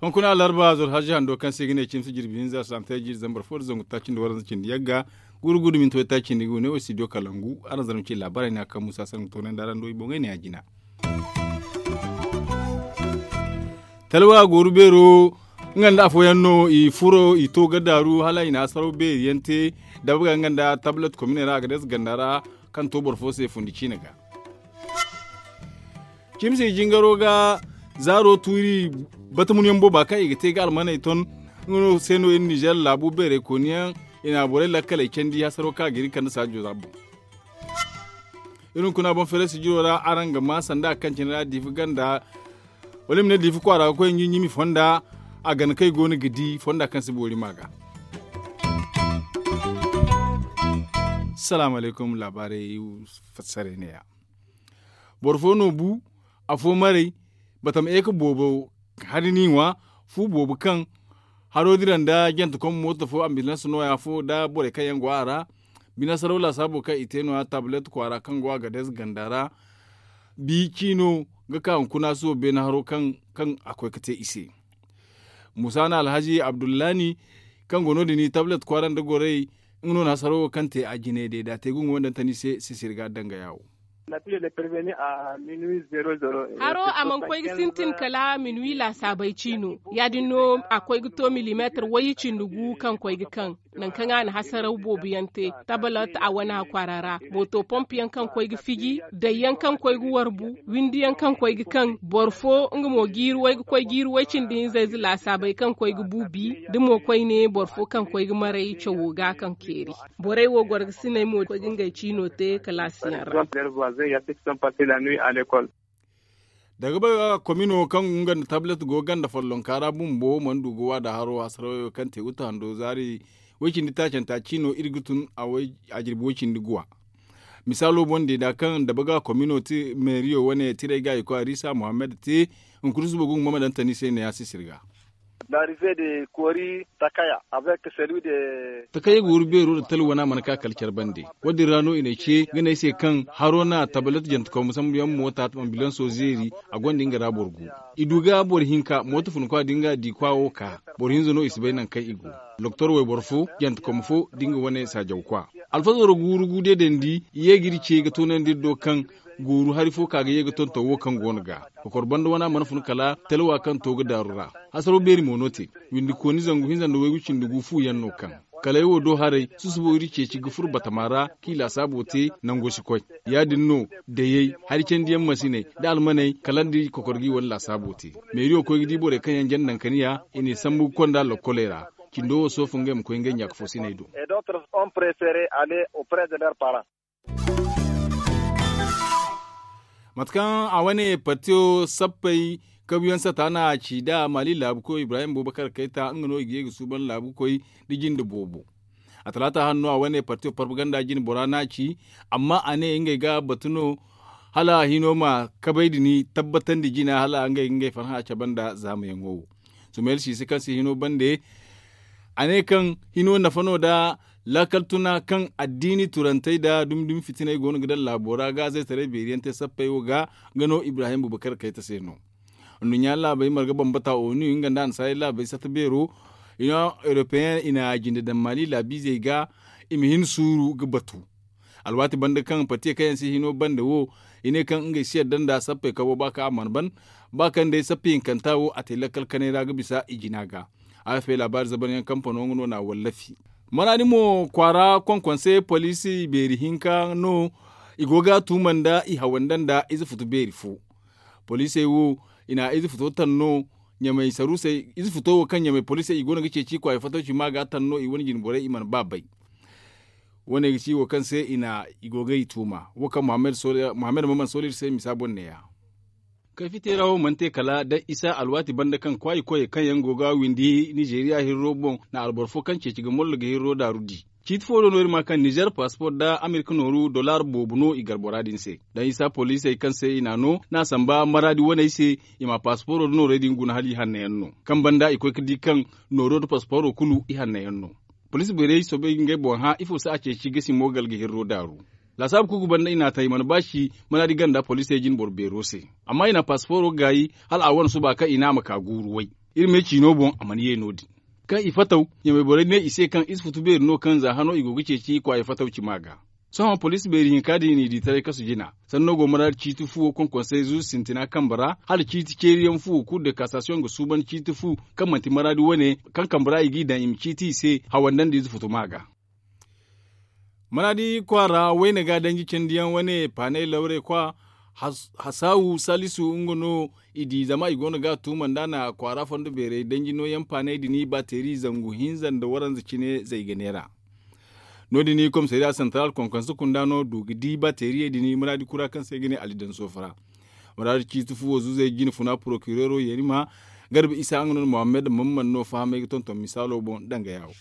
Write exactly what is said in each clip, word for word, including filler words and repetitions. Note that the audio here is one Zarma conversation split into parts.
Hunkuna alarba zoro hazi hando kaŋ se i ga ne cimsi jirbi hinza sante jiiri zambar fo da zangu taaci nda waranza cindi yagga. Guuru guuru minti way taaci nda i ga wane wo studio kalangu araŋ zarma ci laabaarey ne a kaŋ musa sangu toonandi araŋ do i boŋey ne a jina. Talwa gooru beero nga nda afooyaŋ no i furo i to ga daaru hala i na hasaraw beeri yaŋ te. Dabga nga nda tablet komine ra a ga deesa ganda ra kaŋ to boro fo se fundi ciine ga. Cimsi jingaro ga zaaro tuuri batamunyaŋ booba kaŋ i ga te ga almaney ton. Nga no se no iri nizer laabu beerey kooniyaŋ i na borey lakkaley candi hasaro kaŋ a ga iri kande saajo za boŋ. Iri hunkuna boŋ feere sijiro ra araŋ ga ma sanda a kaŋ cine ra diifi ganda wala i ma ne diifi kwaara ga koy ɲiimi fonda. A gana kaŋ i go no ga di fonda kaŋ si boori ma ga. Salaamu alaykum laabaarey fassarey ne ya. Boro fo no bu afo maray batam eke boobo hari ni ŋwa fu boobo kaŋ haro dira nda jante kom mooto fo ambilans nooya fo nda borey kaŋ yaŋ go a ra. Bine saraw laasaabo kaŋ i te no- ya tabulet kwaara kaŋ go a ga dees ganda ra. Bi ciino ga ka hunkuna suba beene haro kaŋ a koy ga te i se. Musa na alhazi abdullahi kaŋ go no- din tabulet kwaara nda gorey nga no na hasaro wo kaŋ te a jine day da a te ga nga wo nda tani se sisiri ga danga yaawo. Haro a mana koy ga sintin kala minuwi laasaabay ciino ya- din no a koy ga to milimeetar wayye cindi gu kaŋ koy ga kaŋ nangu kaŋ a na hasaraw boobo yaŋ te. Tabalat a wane hakwaara ra mooto pomp yaŋ kaŋ koy ga fiji day yaŋ kaŋ koy ga warbu windi yaŋ kaŋ koy ga kaŋ boro fo nga mo jiiri way ga koy jiiri way cindi hinza ize laasaabay kaŋ koy ga bu bi da mo koyne boro fo kaŋ koy ga maray cawo ga kaŋ keeri. Borey wo gorgasiney mo koy ga ngey ciino te kalaasiyaŋ ra. Daga bay ga komino kaŋ nga nda tablet go ganda follonka ra bumbo mana du ga waada haro hasarawayo kaŋ te ga to hando zaari way- cindi taacanta ciino iri ga tun a jirbi way- cindi guwa. Misaalo boŋ deeda kaŋ dabaga komino meeriyo wane tiray ga i koy arisa muhammad te hunkuna suba ga nga mama daŋ tani se ne ya sisiri ga. Takayey ga wuru beero nda talwana mana ka kala care bande. Wo- din ra no i n'ay ce ga ne ay se kaŋ haro na tabalet jante kawma sambu yaŋ moota ambilanso zeeri. A gonda nga ra boro gu i du ga boro hinka mooto funkwa da nga di kwa wo ka boro hinza no i si bay nangu kaŋ i go. Doktor wayboro fo jante kawma fo da nga wane saajawkwa alfazaro ga wuru gu deedandi i ye ga iri ce ga toonandi iri do kaŋ gooru hari fo ka ga ye ga tonton wo kaŋ go no ga kokor banda wana mana fun kala talwa kaŋ to ga daaru ra. Hasaraw beeri mo no te windi kooni zangu hinza nda waygu cindi gu fu yaŋ no kaŋ kala ay wo do haray susubo iri ceeci ga furo batama ra kaŋ i laasaabo te nango si koy. Ya- din no dayey hari candiyaŋ masiney nda almaney kala nda i kokor ga i wane laasaabo te. Meeriyo koy ga di borey kaŋ yaŋ janda nankaniya i n'i sambu ga konda lokkoley ra. Cindo wo soofu ngey ma koy ngey ɲaaka fo siney do. Mate kaŋ a wane partiyo sappey kabuyaŋ sata no a ci nd'a maali laabukoy ibrahim bubakar kayta nga no i ga ye ga suuban laabukoy nda jinde boobo. A talaata hanno a wane partiyo propaganda jine bora no a ci. Amma a ne ngey ga batu no hala hino ma kabay din tabbatandi jina hala ngey ga ngey farhã cabe nda zaamayaŋo wo. Sumayel siise kaŋ se hino bande a ne kaŋ hino nafa no nda laakal tuna kaŋ addiini turantey nda dumi dumi fitiney go no ga daŋ laabo ra ga zaytaray beeri yaŋ te sappey wo ga. Nga no ibrahim bubakar kayta se no. Nduɲɲa laabey marga bambata onu nga nda annasaarey laabey sata beero. Ino europeyen i na jinde daŋ maali laabiizey ga i ma hin suuru ga batu. Alwaati banda kaŋ patiye kaŋ yaŋ si hino bande wo i ne kaŋ ngey si yadda nda sappey kabo ba kaŋ a mana ban ba kaŋ day sappey hinkanta wo a te lakkal kanay ra ga bisa i jina ga. Afp laabaari zabanyaŋ kampano nga no na a wallafi. Maraadi mo kwaara konkonse poliisi beeri hinka no i go ga a tuuma nda i hawanda nda ize futu beeri fo. Poliisey wo i na ize futo taŋ no ɲamay saruusey ize futo wo kaŋ ɲamay poliisey i go no ga ceeci kwaay fatawci ma ga taŋ no i wane jine borey i mana ba bay. Wo- ne ga ci wo kaŋ se i na i go ga i tuuma wo kaŋ muhammad maman sooli iri se misa boŋ neeya. Kayfiteera wo mana te kala da isa alwaati banda kaŋ kwaayi koyey kaŋ yaŋ go ga windi nizeeriya hirro boŋ na alboro fo kaŋ ceeci ga mollo ga hirro daaru di. Ciiti fo do no iri ma kaŋ nizer paspor nda amerika nooru dollar boobo no i gar bora din se. Da isa poliisey kaŋ se i n'a no n'a samba maraadi waney se i ma pasporo nda noorey din guna hala i hanno yaŋ no kaŋ banda i koy ga di kaŋ nooro nda pasporo kulu i hanno yaŋ no. Poliisi beerey soobay ga ngey boŋ hã ifo se a ceeci gasi mo galga hirro daaru. Laasaabu kuuku banda i n'a ta i mana baaci manaadi ganda poliisey jine boro beero se. Amma i na paasifooro gaayi hala a wane suba kaŋ i ne a ma ka guuru way. Iri me ciino boŋ a mana ye no- din. Kaŋ i fataw, ɲamay borey ne i se kaŋ i si futu beeri no kaŋ za hano i go ga ceeci kwaayey fataw cima ga. Sohõ poliisi beeri hinka din n'i di taray kasu jina. Sanno go maraadi ciiti fuwo konkonsey zuuzu sintina kambe ra hala ciiti ceeriyaŋ fuwo kuur de kasasiyoŋ ga suuban ciiti fu kaŋ manti maraadi wane kaŋ kambe ra i g'i daŋ i ma ciiti i se hawandandi ize futuma ga. Maraadi kwaara wayne ga danji candiyaŋ wane paanay lawre kwa hasaawu salisu nga no i di zama i go no ga a tuuma nda na kwaara fondo beerey danji nooyaŋ paanay din baateeri zangu hinza nda waranza cine zay ga neera. No- din komisariya santaral konkonse kunda no du ga di baateeriyey din maraadi kura kaŋ se ga ne ali daŋ soofara. Maraadi ciiti fuwo zuzey jine funa porokireero yerima garba isa nga no mohammed mamman no fahamey ga tonton misaalo boŋ danga yaawo.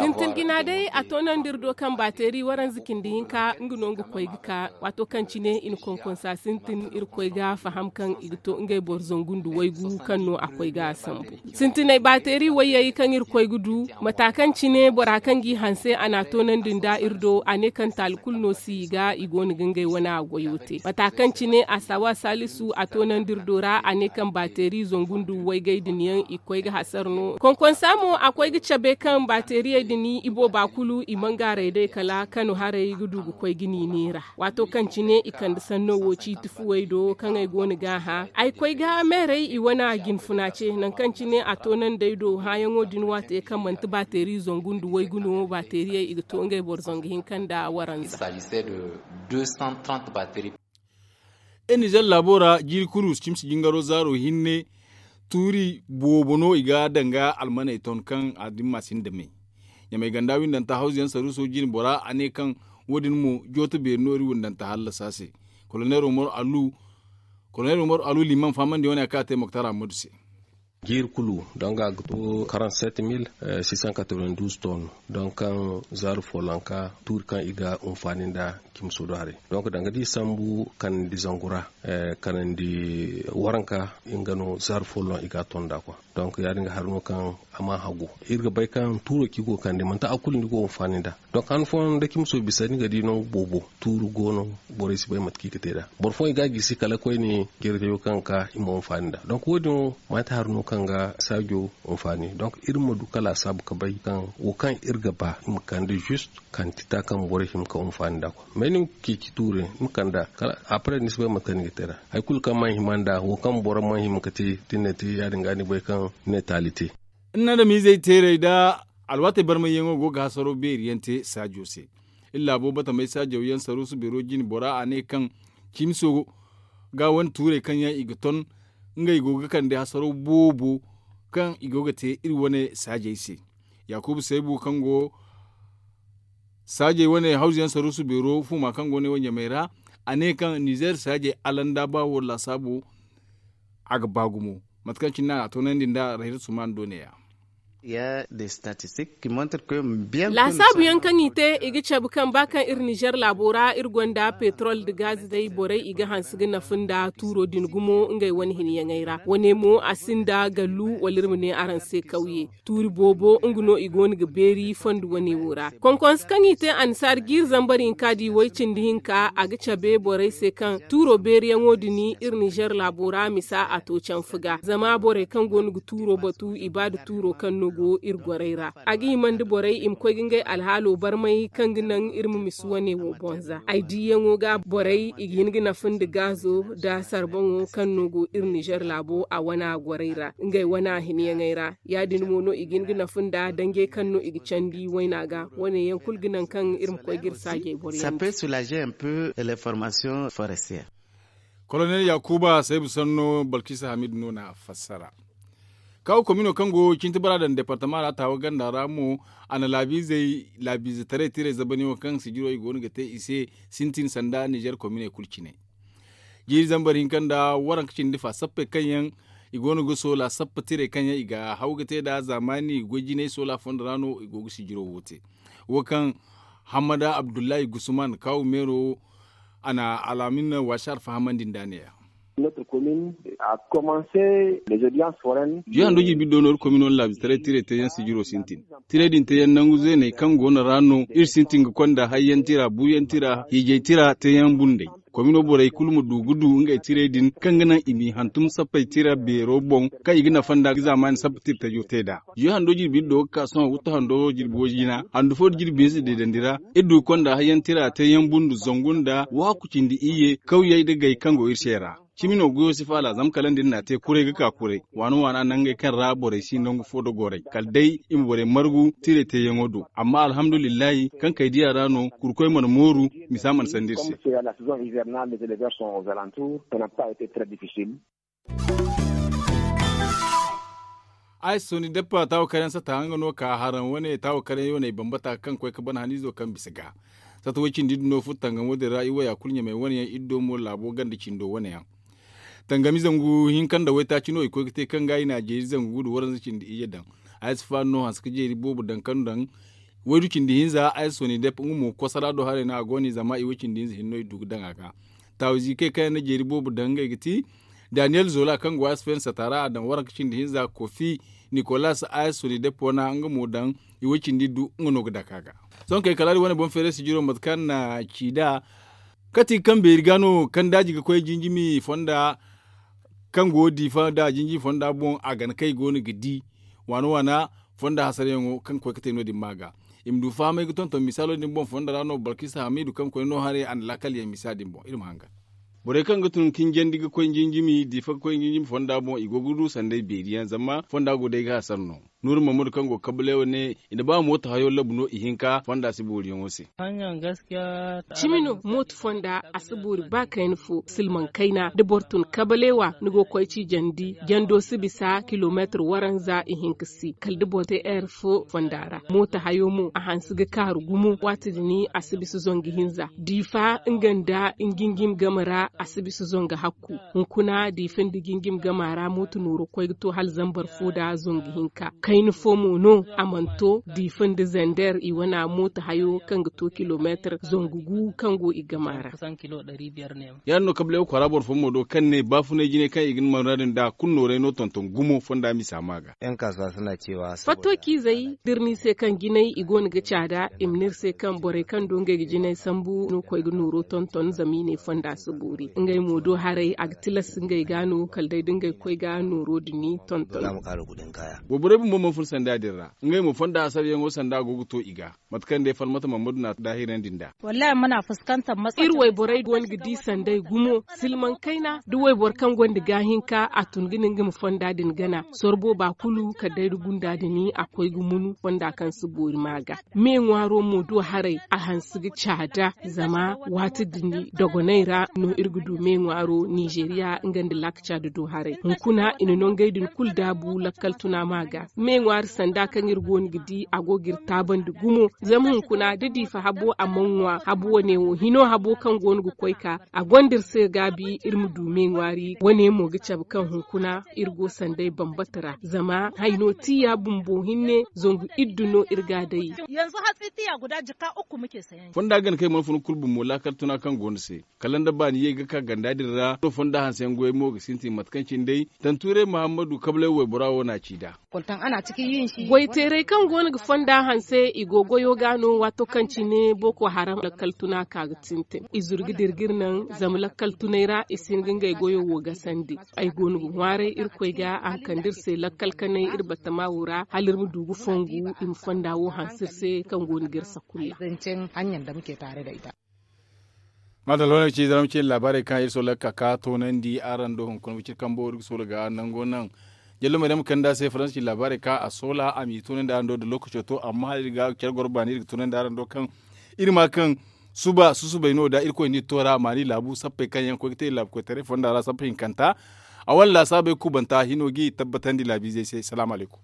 Sintin jina day a toonandi iri do kaŋ baateeri waranza cindi hinka nga no nga koy ga ka waato kaŋ cine i na konkonsa sintin iri koy ga faham kaŋ i ga to ngey boro zangu nda waygu kaŋ no a koy ga a sambu. Sintiney baateeri wayyey kaŋ iri koy ga du mata kaŋ cine bora kaŋ g'i hanse a n'a toonandi nda iri do a ne kaŋ taali kulu no si i ga i go no ga ngey wane a goyo te mata kaŋ cine a saawa saalisu a toonandi iri do ra a ne kaŋ baateeri zangu nda waygay din yaŋ i koy ga hasara no konkonsa mo a koy ga cabe kaŋ baateeriyey din i booba kulu i mangaaray day kala kano haray ga du ga koy ga niini ra. Waato kaŋ cine i kande sanno wo ciiti fuwey do kaŋ ay go no ga a hã ay koy ga meeray i wane a jinfuna ce nangu kaŋ cine a toonandi ay do hãyaŋo din waate kaŋ manti baateeri zangu nda waygu no baateeriyey i ga to ngey boro zangu hinka nda waranza. Iri nizer laabo ra jiiri kulu cimsi jingaro zaaro hinne tuuri boobo no i ga danga almaney ton kaŋ a dimma sinda me. Ɲamay ganda windanta hawzu yaŋ saruuso jine bora a ne kaŋ wo- din mo jooto beeri no iri windanta hallasa se. Kolonel umaru alu liman fahamandi wane a kaŋ a te moktar ammadu se. Jiiri kulu donga ga to quarante sept mille six cent quatre vingt douze ton donk kaŋ zaaru follonka tuuri kaŋ i ga hunfaani nda cimso do haray. Donk danga da i sambu kanandi zangu ra kanandi waranka nga no zaaru follon i ga a ton nda kwa. Donk ya- din ga hari no kaŋ a ma hagu iri ga bay kaŋ tuuro kaŋ i go ga kande manti a kulu no i go ga hunfaani nda. Donk han fooyaŋ da cimso bisa ni ga di nangu boobo tuuru go no. Borey si bay mate kaŋ i ga te nd'a boro fooyaŋ i ga a gisi kala koyne jirgayo kaŋ ga ka i ma hunfaani nd'a donk wo- din wo manti hari no kaŋ ga saajo hunfaani donk iri ma du ka laasaabu ga bay kaŋ wo kaŋ iri ga ba i ma kande zist kantita kaŋ borey hima ga hunfaani nd'a kwa. May ni ma ceeci tuure ni ma kand'a kala après ni si bay mate kaŋ ni ga te nd'a hari kulu kaŋ mana hima nd'a wo kaŋ boro mana hima ga te da ni na te ya- din ga ni bay kaŋ ni na taali te. Ni na adamizey teeray nda alwaatey barmayyaŋo go ga hasaro beeri yaŋ te saajo se. Iri laabo batamey saajaw yaŋ saruusu beero jine bora a ne kaŋ cimiso ga wane tuurey kaŋ yaŋ i ga ton ngey go ga kande hasaro boobo kaŋ i go ga te iri wane saajey se. Yaakuba saybu kaŋ go saajey wane hawzu yaŋ saruusu beero fuuma kaŋ go ne wo ɲamey ra a ne kaŋ nizer saajey alanda ba wo laasaabo a ga ba gumo. Mate kaŋ cine no a na a toonandi nda rayra suman do ne- ya. Laasaabu yaŋ kaŋ i te i ga cabe kaŋ ba kaŋ iri nizer laabo ra iri gonda petrol nda gaz day borey i ga hanse ga nafa nda tuuro din gumo ngey wane hinyaŋey ra wane mo a sinda gallu wala iri ma ne araŋ se kawye. Tuuri boobo nga no i go no ga beeri fondo wane wo ra konkonse kaŋ i te annasaari jiiri zambar hinka di way cindi hinka a ga cabe borey se kaŋ tuuro beeriyaŋo din iri nizer laabo ra misa a to canfa ga zama borey kaŋ go no ga tuuro batu i ba nda tuuro kaŋ no go iri gorey ra. A ga hima nda borey i ma koy ga ngey alhaalo barmay kaŋ ga naŋ iri ma misa wane wo boŋ za ay diiyaŋo ga borey i ga hin ga nafa nda gaazo nda sarboŋo kaŋ no go iri nizer laabo a wana gorey ra ngey wana hinyaŋey ra. Ya- din mo no i ga hin ga nafa nda danjey kaŋ no i ga candi wayna ga wane yaŋ kulu ga naŋ kaŋ iri ma koy ga iri saajey boro yaŋ. Kolonel yaakuba saybu sanno balkisa hamidu no na fassara. Kaw komino kaŋ go cinti bara daŋ departama ra taawa ganda ra mo a na laabiizey laabiize taray tiray zabaniyaŋo kaŋ sijiro i go no ga te i se sintin sanda nizer kominey kulu cine. Jiiri zambar hinka nda waranka cindi fa sappey kaŋ yaŋ i go no ga soola sappa tiray kaŋ yaŋ i ga haw ga te nd'a zaamaani goy jinay soola fondo ra no i go ga sijiro wo te. Wo kaŋ hammada abdullahi gusman kaawu meero a na alaamin waasi alfahamandi nd'a ne- ya. Jiyo hando jirbi do no iri komino na laabistaray tiray teeyaŋ sijiro sintin. Tiray din teeyaŋ nangu zeeney kaŋ go no ra no iri sintin ga konda hayyaŋ tira buuyaŋ tira hiijay tira teeyaŋ bunday. Komino borey kulu ma du ga du ngey tiray din kaŋ ga naŋ i m'i hantum sappey tira beero boŋ kaŋ i ga nafa nda zaamaani sappa tira tajo te nd'a. Jiyo hando jirbi iri do ga ka sohõ wuttu hando jirbi way jina handu fo da jirbi hinza deedandi ra. Iri du ga konda hayyaŋ tira teeyaŋ bundu zangu nda waaku cindi iyye kawyey nda gay kaŋ go iri se ra. Cimi no goyo si faala zama kala nda iri n'a te kuray ga ka kuray waana waana nangey kaŋ ra borey si nangu fo da goray kala day i ma borey margu tiray teeyaŋo do. Amma alhamdulillahi kaŋ kay diya ra no kurkoy mana mooru misa mana sanda iri se. Ay soni deppa taawo karyaŋ sata nga no ka haraŋ wane taawo karyaŋ yooney bambata kaŋ koy ga ban haniizo kaŋ bisa ga sata way cindi din no furo tangamo din ra i waya kulu ɲamey wane yaŋ iri do mo laabo ganda cindo wane yaŋ. Tangami zangu hinka nda waytaaci no i koy ga te kaŋ ga i na a jeeri zangu gudu waranza cindi iyye daŋ. Ay si faani no hanse ga jeeri boobo daŋ kaŋ daŋ waydu cindi hinza ay si soni dep nga mo kosara do haray no a go no i zama i way cindi hinza hinne no i du ga daŋ a ga. Taawizi kay kaŋ yaŋ na jeeri boobo daŋ ngey ga ti daniyel zola kaŋ go ay si fayna sata ra a daŋ waranka cindi hinza kofi nikolas ay si soni dep wana nga mo daŋ i way cindi du nga no ga dake a ga. Sohõ kay kala iri wane boŋ feeray sijiro mate kaŋ na ci nd'a kati kaŋ beeri ga no kaŋ daaji ga koy jinjimi fonda kaŋ go diifa nda jinjimi fonda boŋ a gana kaŋ i go no ga di waana waana fonda hasarayaŋo kaŋ ga koy ga te no- din ma ga i ma du fahamay ga tonton misaalo din boŋ fonda ra no balkisa hamiidu kaŋ koy no haray a na laakal yaŋ misa din boŋ iri ma hangan. Borey kaŋ ga tun ka hinjandi ga koy jinjimi diifa ga koy jinjimi fonda boŋ i go ga du sanday beeri yaŋ zama fonda go day ga hasara no. Nuuru mammadu kaŋ go kabaleewa ne i na ba mooto hayo labu no ihinka fonda si booriyaŋo se. Cimi no mooto fonda a si boori ba kayna fo silmaŋ kayna da boro tun kabaleewa ni go ga koy ciijandi jando si bisa kilomeetir waranza ihinka si kala da boro te eer fo fonda ra mooto hayo mo a hanse ga kaaru gumo waati din a si bisa zangu hinza diifa nga nda nga jinjimi game ra a si bisa zangu hakku. Hunkuna diifa nda jinjimi game ra mooto nooro koy ga to hala zambar fo da zangu hinka kayna fo mo no a mana to diifa nda zander i wana mooto hayo kaŋ ga to kilomeetir zangu gu kaŋ go i game ra. Yaadin no kablay wo kwaara boro fo mo do kaŋ ne baafunay jinay kaŋ i ga ni marra din da kulu nooray no tonton gumo fonda misa ma ga. Fatto ciizey da iri ne i se kaŋ jinay i go no ga caada i ma ne iri se kaŋ borey kaŋ do ngey ga jinay sambu no koy ga nooro tonton zama i ne fonda si boori ngey mo do haray a ga tilas ngey ga no kala day da ngey koy ga nooro din tonton. Wayborey bumbo mana fun sanda din ra ngey mo fonda hasarayaŋo sanda go ga to i ga. Mate kaŋ day falmata mammadu na daahirandi nd'a. Iri wayborey go no ga di sanday gumo silmaŋ kayna da wayboro kaŋ gonda gaahinka a tun ga ne nga ma fonda din gana sorbo ba kulu kala day da gunda din a koy ga munu fonda kaŋ si boori ma ga. Me ŋwaaro mo do haray a hanse ga caada zama waati din dogonay ra no iri ga du me ŋwaaro nizeeriya nga nda laaka caada do haray hunkuna i na nongey din kulu daabu lakkal tuna ma ga. Me ŋwaari sanda kaŋ iri go no ga di a go ga iri taabandi gumo zama hunkuna da diifa habo a mana ŋwa habo wane wo hino habo kaŋ go no ga koy ka a gonda iri se gaabi iri ma du me ŋwaari wane mo ga cabe kaŋ hunkuna iri go sanday bambata ra zama hayno tiya bumbo hinne zangu iddu no iri ga a day. Fonda gana kaŋ i mana fun kulu bumbo laakal tuna kaŋ go no se kala nda baani ye ga ka ganda din ra no fonda hanseyaŋ goyey mo ga sintin mate kaŋ cine day tantuuray muhammadu kablay waybora wo no a ci nd'a. Goyteerey kaŋ go no ga fonda hanse i go goyo ga no waato kaŋ cine boko haram lakkal tuna ka ga sintin i zuru ga dira ga iri naŋ zama lakkal tunay ra i si hin ga ngey goyo wo gasandi. Ay go no ga ŋwaaray irkoy ga a ma kande iri se lakkal kanay iri batama wo ra hala iri ma du ga fongu i ma fonda wo hanse iri se kaŋ go no ga iri sakulla. Madalla wane ci zama ci laabaarey kaŋ iri soola ga ka ka toonandi araŋ do hunkuna wiciri kambo iri ga soola ga nango naŋ. Jallo may dama kanda se faransa ci laabaarey kaŋ a soola a m'i toonandi araŋ do da lookaco to amma hala iri ga care goro baani iri ga toonandi araŋ do kaŋ iri ma kaŋ suba susubay no da irkoy ni toora maani laabu sappey kaŋ yaŋ koy ga te laabu koytaray fonda ra sappa hinkanta a wane laasaabey kubanta hino g'i tabbatandi laabiizey se salaamu alaykum.